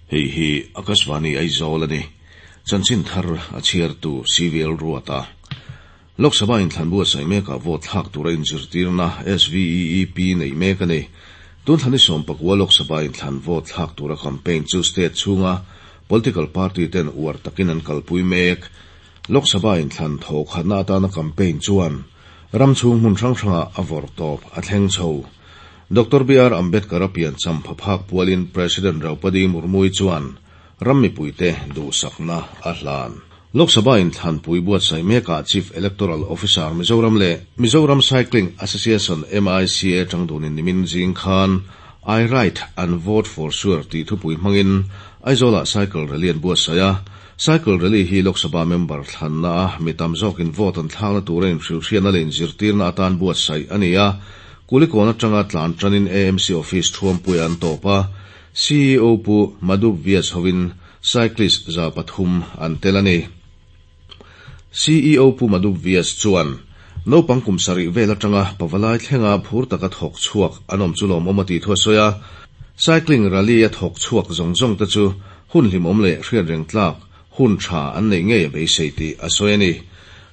Hei hi Akashvani Aizawl a ni. Chanchin thar a chhiartu CVL Ruata. Lok Sabha inthlan buatsaih mekah vote thlak tura inzirtirna SVEEP neih mek a ni. Tun thla ni 19 Lok Sabha inthlan vote thlak tura campaign chu state chhunga political party ten uar takin an kalpui mek. Lok Sabha inthlan thawhkhatna atana campaign chuan ram chhung hmun hrang hrangah a vawrh tawp a thleng chho. Doctor BR Ambedkar-a piancham phaphak pualin President Draupadi Murmu-i chuan ram mipuite duhsakna a hlan. Lok Sabha inthlanpui buatsaih mekah Chief Electoral Officer Mizoram leh Mizoram Cycling Association, MICA, tangdunin nimin zing khan I Ride and Vote for Sure tih thupui hmangin Aizawlah Cycle Rally an buatsaih a. Cycle Rally hi Lok Sabha member thlanna a mi tam zawkin vote an thlakna tura inhrilhriatna leh inzirtirna atan buatsaih a ni a. Kulikawn atanga tlan tanin AMC Office thuampuiah an tawp a, CEO Pu Madhup Vyas hovin cyclist 300 an tel a ni. CEO Pu Madhup Vyas chuan, Naupang kum sarih vel atanga pavalai thlenga phur taka thawk chhuak an awm chu lawmawm a tih thu a sawi a, cycling rally a thawk chhuak zawng zawng te chu hun hlimawm leh hriatreng tlak hun tha an neih ngei a beisei tih a sawi a ni.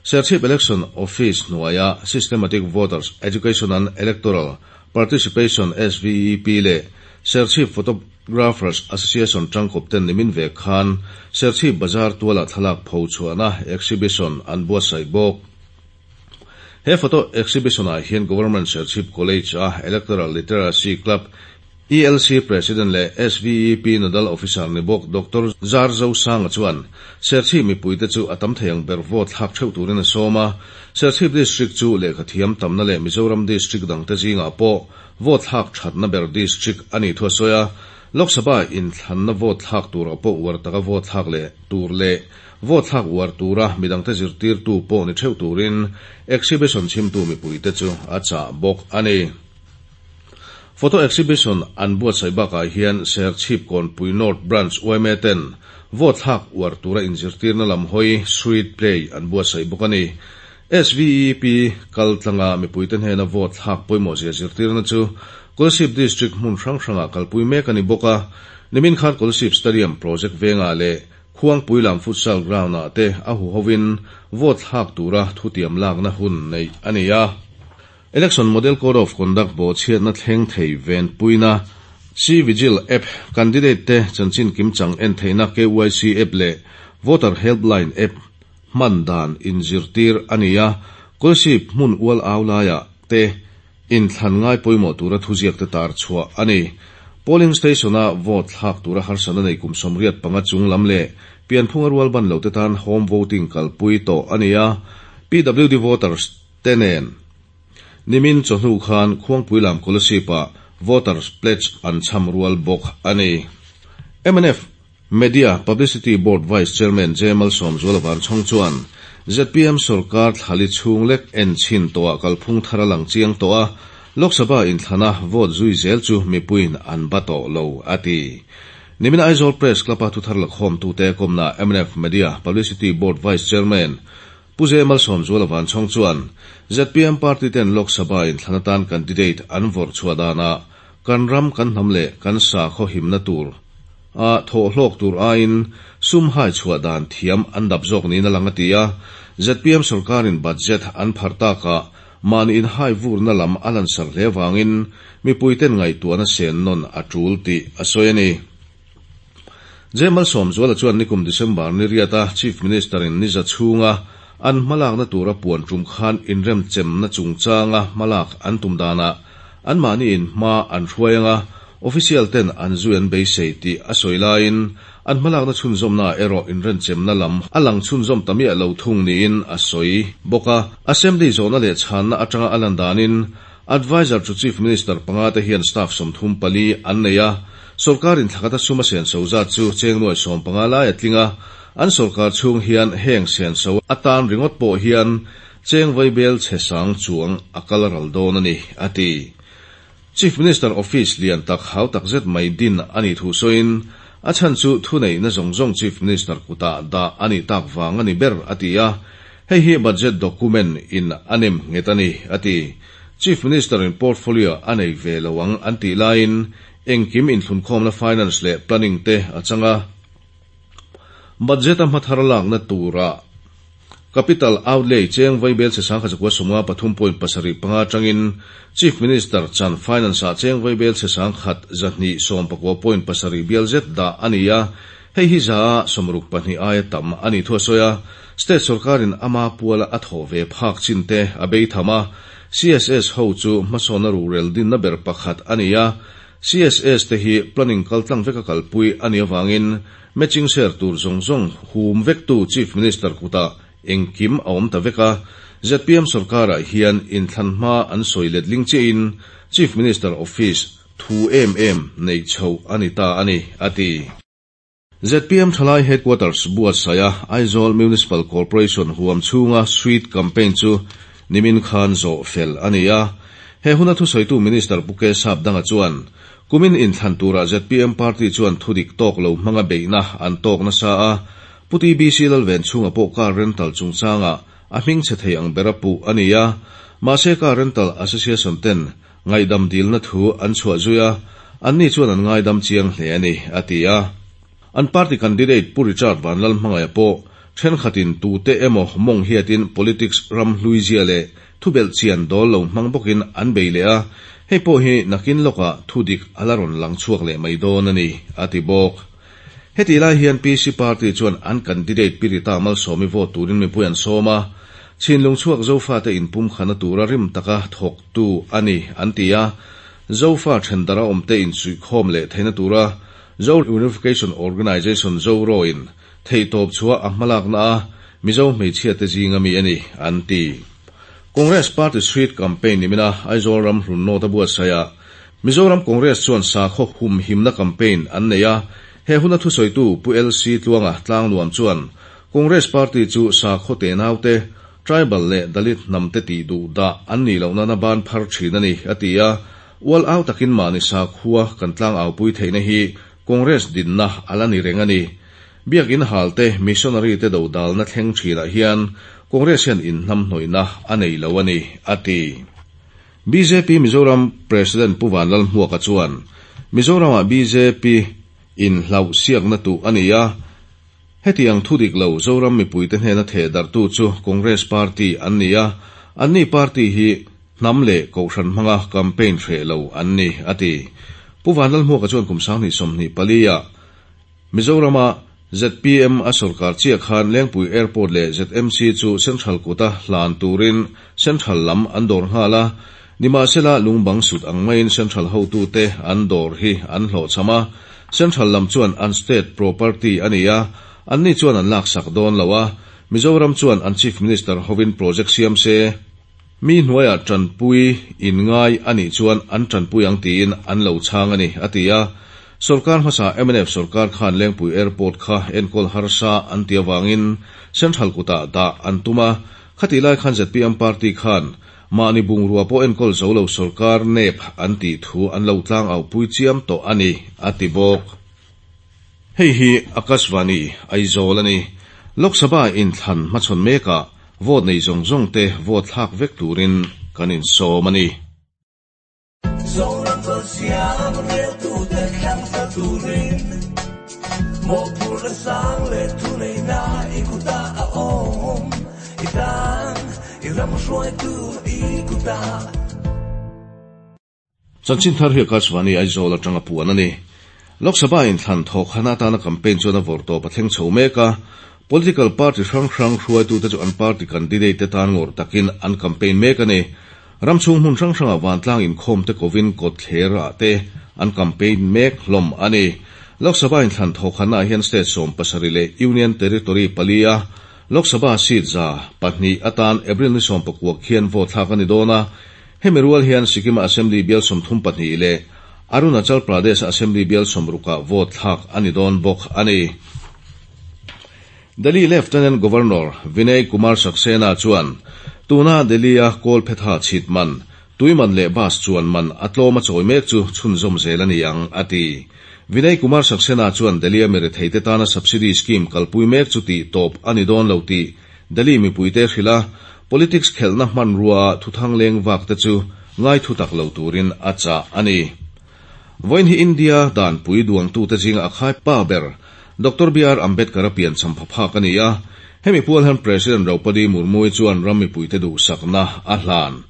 Serchhip Election Office hnuaia Systematic Voters Education and Electoral Participation, SVEP, leh Serchhip Photographers Association tangkawp ten nimin ve khan Serchhip Bazar tualah thlalak pho chhuahna exhibition an buatsaih bawk. He photo exhibition-ah hian Government Serchhip College-a Electoral Literacy Club, ELC President leh SVEP Nodal Officer ni bawk Doctor Zar Zosanga chuan Serchhip mipuite chu a tam thei ang ber vote thlak theuh turin a sawm a. Serchhip District chu lehkhathiam tamna leh Mizoram District dangte zingah pawh vote thlak thatna ber District a nih thu a sawi a. Lok Sabha inthlanna vote thlak turah pawh uar taka vote thlak leh tur leh vote thlak uar tura midangte zirtirtu pawh ni theuh turin exhibition chhimtu mipuite chu a chah bawk a ni. Photo exhibition an buatsaih bakah hian Serchhip Kawnpui North Branch yma ten vote thlak uar tura inzirtirna lam hawi street play an buatsaih bawk a ni. SVEP kal tlanga mipuite hnena vote thlak pawimawh zia zirtirna chu Kolasib District hmun hrang hrangah kalpui mek a ni bawk a. Nimin khan Kolasib Stadium project vengah leh Khuangpui lam futsal ground-ah te a huhovin vote thlak tura thutiam lakna hun neih a ni a. Election Model Code of Conduct bawhchhiatna thleng thei venpuina C-Vigil app, candidate te chanchin kimchang en theihna KYC app leh Voter Helpline app hman dan inzirtir a ni a, Kolasib hmun ual au laiah te inthlan ngai pawimawh tura thuziak te tar chhuah a ni. Polling Station-a vote thlak tura harsatna nei kum 85 chung lam leh pianphunga rual ban lo te tan home voting kalpui tawh a ni a, PWD voters te nen nimin chawhnu khan Khuangpui lam Kolasib-ah Voters Pledge an chham rual bawk a ni. Mnf Media Publicity Board Vice Chairman J Malsawmzuala Vanchhawng chuan zpm sorkar thlali chhung lek en chhin tawhah kalphung thar a lang chiang tawh a, Lok Sabha inthlana vote zui zel chu mipuiin an ba tawh lo, a ti. Nimin Aizawl Press Club-a thuthar lakhawmtute kawmna mnf Media Publicity Board Vice Chairman Pu J Malsawmzuala Vanchhawng chuan zpm party ten Lok Sabha inthlan atan candidate an vawrh chhuah danah kan ram kan hnam leh kan sakhaw himna tur a thawh hlawk tur aiin sum hai chhuah dan thiam an dap zawk niin a lang a ti a. Zpm sorkarin budget an pharh takah mahni inhai vurna lam a lansar hle vangin mipuiten ngaihtuahna sen nawn a tul tih a sawi a ni. J Malsawmzuala chuan nikum December ni riata Chief Minister in ni za chhunga an hmalakna tura puan tum khan inremchemna chungchanga hmalak an tum danah anmahni in hma an hruai anga official ten an zui an beisei tih a sawi laiin an hmalakna chhunzawmna erawh inremchemna lam a lang chhunzawm ta miah lo thung niin a sawi bawk a. Assembly zawhna leh chhanna atanga a lan danin Adviser to Chief Minister panga te hian staff 34 an nei a, sorkarin thlakata sum a senso zat chu cheng nuai 15 lai a tling a, an sorkar chhung hian heng senso atan ringawt pawh hian cheng vaibel chhe sang chuang a kal ral dawn a ni, a ti. Chief Minister Office lian tak hau tak zet mai din a nih thu sawiin, a chhan chu thuneihna zawng zawng Chief Minister kutah dah a nih tak vang a ni ber, a ti a. Hei hi budget document in a nem nghet a ni, a ti. Chief Minister in portfolio a nei ve lo ang an tih laiin Engkim inthlunkhawmna Finance leh Planning te a chang a. Budget a hmathar lakna tura Capital Outlay cheng vaibel che sangkhat zakua sawmnga pathum point pasarih panga atangin Chief Minister chan Finance ah cheng vaibel che sangkhat zahnih sawmpakua point pasarih bial zet dah a ni a, hei hi za a sawmruk pahnih aia tam a nih thu a sawi a. State sorkarin ama puala a thawh ve phak chin te a bei tham a, CSS ho chu hmasawnna ruhrel dinna ber pakhat a ni a, CSS te hi planning kaltlang veka kalpui a nih avangin matching share tur zawng zawng hum vektu Chief Minister kutah engkim a awm ta vek a, zpm sorkarah hian inthlan hma an sawi letling chiahin Chief Minister Office thu em em neih chhoh a ni ta a ni, a ti. Zpm Thalai Headquarters buatsaiha Aizawl Municipal Corporation huam chhunga Street Campaign chu nimin khan zawh fel a ni a. He huna thusawitu Minister Pu K Sapdanga chuan, Kumin inthlan turah zpm party chuan thudik tawk lo hmanga beihna an tawk nasa a, Pu TBC Lalven chhunga pawh car rental chungchangah a hming chhe thei ang bera puh a ni a. Mahse car rental association ten Ngaihdam dilna thu an chhuah zui a, anni chuan an ngaidam chiang hle a ni, a ti a. An party candidate Pu Richard Vanlalhmangaia pawh thenkhatin tute emaw mawng hiatin politics ram hluizia leh thubelh chian dawl lo hmang bawkin an bei leh a, hei pawh hi nakin lawkah thudik a la rawn lang chhuak leh mai dawn a ni, a ti bawk. Hetih lai hian PC party chuan an candidate Pi Rita Malsawmi vote turin mipui an sawm a, Chhinlung chhuak Zofate inpumkhana tura rim taka thawktu a ni an ti a, Zofa thendara awmte insuihkhawm leh theihna tura Zo Unification Organisation Zoro-in theihtawp chhuah a hmalakna a Mizo hmeichhiate zinga mi a ni an ti. Congress Party Street Campaign nimina Aizawl ram hlun nawt a buatsaihah Mizoram Congress chuan sakhaw humhimna campaign an nei a, he huna thusawitu Pu LC Tluanga Tlangnuam chuan Congress party chu sakhaw tenaute, tribal leh Dalit hnamte tih duh dah an nih loh nana ban phar thin a ni, a ti a. Ual au takin mahni sakhua kan tlangaupui theihna hi Congress dinna a la ni reng a ni. Biakin halte missionary te dodalna thleng thinah hian Congress hian inhnamhnawihna a nei lo a ni, a ti. Bjp Mizoram President Pu Vanlalhmuaka chuan, Mizoramah bjp in hlauh siakna tuh a ni a, hetiang thu dik lo Zoram mipuite hnena theh darhtu chu Congress Party an ni a, anni party hi hnam leh kohhran hmanga campaign hreh lo an ni, a ti. Pu Vanlalhmuaka chuan kum 2024 ah Mizorama zpm a sorkar chiah khan Lengpui Airport leh ZMC chu Central kuta hlan turin Central lam an dawr nghal a, nimahsela lungbang sut ang maiin Central hotute an dawr hi an hlawhchham a, Central lam chuan an state property a ni a, anni chuan an laksak dawn lo a, Mizoram chuan an Chief Minister hovin project siam se, mi hnuaiah tanpui in ngai a nih chuan an tanpui ang tiin an lo chhang a ni, a ti a. Sorkar hmasa mnf sorkar khan Lengpui Airport kha enkawl harsa an ti avangin Central kutah dah an tum a, khatih lai khan zpm party khan mahni bungrua pawh enkawl zo lo sorkar nep an tih thu an lo tlang aupui chiam tawh a ni, a ti bawk. Hei hi Akashvani, Aizawl a ni. Lok Sabha inthlan hmachhawn mekah vote nei zawng zawng te vote thlak vek turin kan insawm a ni. Zoram Kalsiam reltute thlang ta turin mawhphurhna sang leh thuneihna i kutah a awm. I tan i ram hruaitu i kutah. Chanchin thar hi Akashvani Aizawl atanga puan a ni. Lok Sabha inthlan thawkhan atana campaign chuan a vawrh tawp a thleng chho mek a. Political party hrang hrang hruaitute chu an party candidate te tan ngawrh takin an campaign mek a ni. Ram chhung hmun hrang hrangah vantlang inkhawm te kovin kawtthler ah te an campaign mek hlawm a ni. Lok Sabha inthlan thawkhannaah hian state 17 leh Union Territory pali a Lok Sabha seat 200 atan April ni 19 khian vote thlak a ni dawn a. Hemi rual hian Sikkim-a Assembly bial 32 leh Arunachal Pradesh-a Assembly bial 60-ah vote thlak a ni dawn bawk a ni. Delhi Lieutenant Governor Vinay Kumar Saxena chuan tuna Delhi-a kawlphetha chhit man, tui man leh bus chuan man a tlawm a chawi mek chu chhunzawm zel a ni ang, a ti. Vinay Kumar Saxena chuan Delhi-a miretheite tana subsidy scheme kalpui mek chu tih tawp a ni dawn lo tih Delhi mipuite hrilh a, politics khelhna hmanrua thuthang leng vak te chu ngai thu tak lo turin a chah a ni. Vawiin hi India Danpui duangtute zinga a khaipa ber Doctor BR Ambedkar-a piancham phaphak a ni a. Hemi pual hian President Draupadi Murmu-i chuan ram mipuite duhsakna a hlan.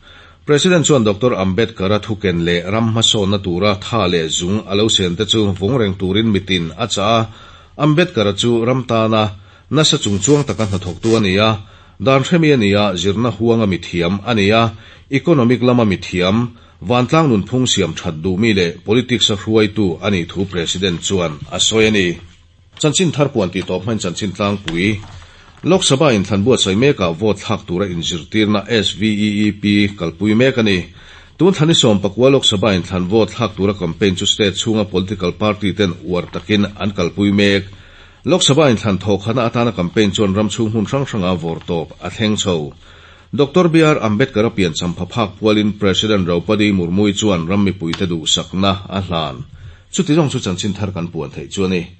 President chuan Doctor Ambedkar-a thuken leh ram hmasawnna tura tha leh zung a lo sente chu vawng reng turin mitin a chah a. Ambedkar-a chu ram tana nasa chungchuang taka hnathawktu a ni a. Dan hremi a ni a, zirna huanga mithiam a ni a, economic lama mithiam, vantlang nunphung siam that duhmi leh politics-a hruaitu a nih thu President chuan a sawi a ni. Chanchin thar puan tih tawp hmain chanchin tlangpui, Lok Sabha inthlan buatsaih mekah vote thlak tura inzirtirna SVEEP kalpui mek a ni. Tun thla ni 19 Lok Sabha inthlan vote thlak tura campaign chu state chhunga political party ten uar takin an kalpui mek. Lok Sabha inthlan thawhkhana atana campaign chuan ram chhung hmun hrang hranga vawrtawp a thleng chho. Doctor BR Ambedkar-a piancham phaphak pualin President Draupadi Murmu-i chuan ram mipuite duhsakna a hlan. Chuti zawng chu chanchin thar kan puan theih chu a ni.